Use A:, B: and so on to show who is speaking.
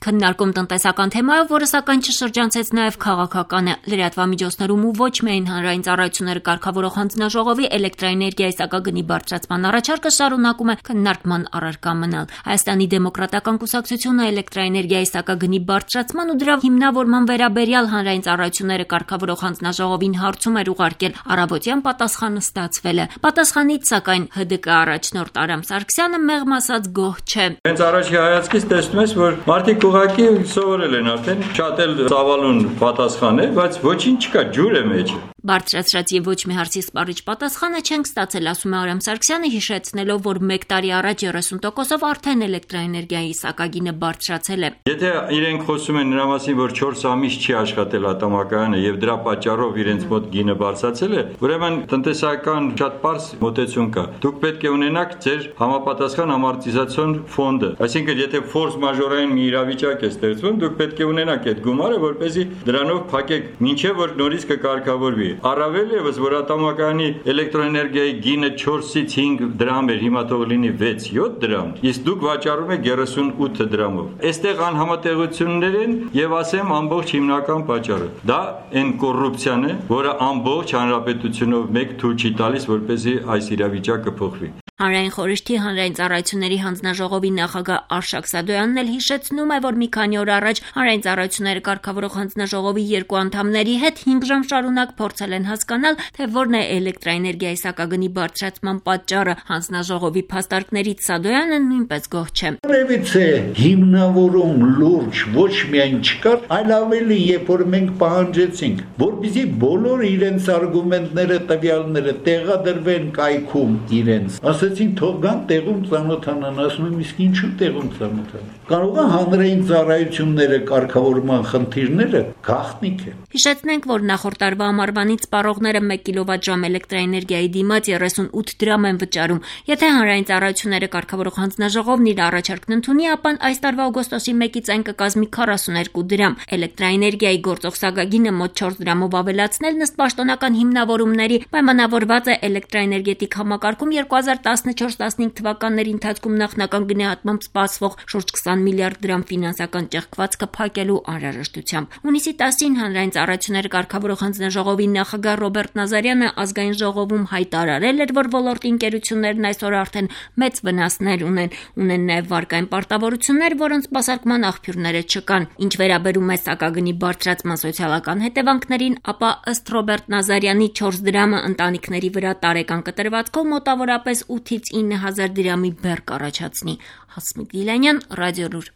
A: քննարկում տնտեսական թեմայով, որը սակայն չշրջանցեց նաև քաղաքականը։ Լրատվամիջոցներում ու ոչ միայն հանրային ծառայությունները կարգավորող հանձնաժողովի էլեկտրաէներգիայի սակագնի բարձրացման առաջարկը շարունակում է քննարկման առարկա մնալ։ Հայաստանի դեմոկրատական կուսակցությունը էլեկտրաէներգիայի սակագնի բարձրացման ու դրա հիմնավորման վերաբերյալ հանրային ծառայությունները կարգավորող հանձնաժողովին հարցում էր ուղարկել, առավոտյան պատասխանը ստացվել է։ Պատասխանից սակայն ՀԴԿ առաջնորդ Արամ Սարգսյանը մեղմ ասած գոհ չէ։
B: Հենց առաջի հայացքից տեսնում ես, որ մարդիկ ուղղակի սովորել են արդեն, շատ էլ ծավալուն պատասխան է, բայց ոչինչ չկա, ջուր է մեջը։
A: Բարձրացրած եւ ոչ մի հարցի սպառիչ պատասխանը չենք ստացել, ասում է Արամ Սարգսյանը, հիշեցնելով, որ 1 տարի առաջ 30%-ով արդեն էլեկտրաէներգիայի սակագինը բարձրացել է։
B: Եթե իրենք խոսում են նրա մասին, որ 4 ամիս չի աշխատել ատամակայանը եւ դրա պատճառով իրենց մոտ գինը բարձրացել է, ուրեմն տնտեսական շատ པարզ մոտեցում կա։ Դուք պետք է ունենաք ձեր համապատասխան ամորտիզացիոն ֆոնդը, այսինքն եթե ֆորս մաժորային մի իրավիճակ է ստեղծվում, դուք պետք է ունենաք այդ գումարը, որպեսզի դրանով փակեք, մինչեւ որ նորից կկարգավորվի։ Առավել եւս, որ ատամակայանի էլեկտրոէներգիայի գինը 4-ից 5 դրամ էր, հիմա թող լինի 6-7 դրամ, իսկ դուք վաճառում եք 38 դրամով։ Այստեղ անհամատեղություններ են եւ ասեմ ամբողջ հիմնական պատճառը։ Դա այն կոռուպցիան է, որը ամբողջ հանրապետությունով մեկ թույլ չի տալիս, որպեսզի այս իրավիճակը փոխվի։
A: Հանրային խորհրդի հանրային ծառայությունների հանձնաժողովի նախագահ Արշակ Սադոյանն էլ հիշեցնում է, որ մի քանի օր առաջ հանրային ծառայությունները կարգավորող հանձնաժողովի 2 անդամների հետ 5 ժամ շարունակ փորձել են հասկանալ, թե որն է էլեկտրաէներգիայի սակագնի բարձրացման պատճառը։ Հանձնաժողովի փաստարկներից Սադոյանը նույնպես գոհ չէ։
C: Որևիցե հիմնավորում լուրջ ոչ միայն չկար, այլ ավելի, երբ որ մենք պահանջեցինք, որպեսզի բոլոր իրենց արգումենտները, տվյալները տեղադրվեն կայքում իրենց։ Ասեցին թող գան տեղում ծանոթանան, ասում եմ իսկ ինչու տեղում ծանոթանան։ Կարող է հանրային ծառայությունները կարգավորման խնդիրները գաղտնիք են։
A: Հիշեցնենք, որ նախորդ տարվա ամառվանից սպառողները 1 կիլովատժամ էլեկտրաէներգիայի դիմաց 38 դրամ են վճարում։ Եթե հանրային ծառայությունները կարգավորող հանձնաժողովն իր առաջարկն ընդունի, ապա այս տարվա օգոստոսի 1-ից այն կկազմի 42 դրամ։ Էլեկտրաէներգիայի գործող սակագինը մոտ 4 դրամով ավելացնել ըստ պաշտոնական հիմնավորումների պայմանավորված է էլեկտրաէներգետիկ համակարգում 2014-15 թվականների ընթացքում նախնական գնահատմամբ սպասվող շուրջ 20 միլիարդ դրամ ֆինանսական ճեղքվածքը փակելու անհրաժեշտությամբ։ Հունիսի 10-ին հանրային ծառայությունները կարգավորող հանձնաժողովի նախագահ Ռոբերտ Նազարյանը ազգային ժողովում հայտարարել էր, որ ոլորտի ընկերություններն այսօր արդեն մեծ վնասներ ունեն նաև վարկային պարտավորություններ, որոնց սպասարկման աղբյուրները չկան։ Ինչ վերաբերում է սակագնի բարձրացման սոցիալական հետևանքներին, ապա ըստ Ռոբերտ Նազարյանի 4 դրամը ընտանիքների վրա տարեկան կտրվածքով մոտավորապես 8-ից 9 հազար դրամի բեռ կառաջացնի։ Հասմիկ Դիլանյան, Ռադիոլուր։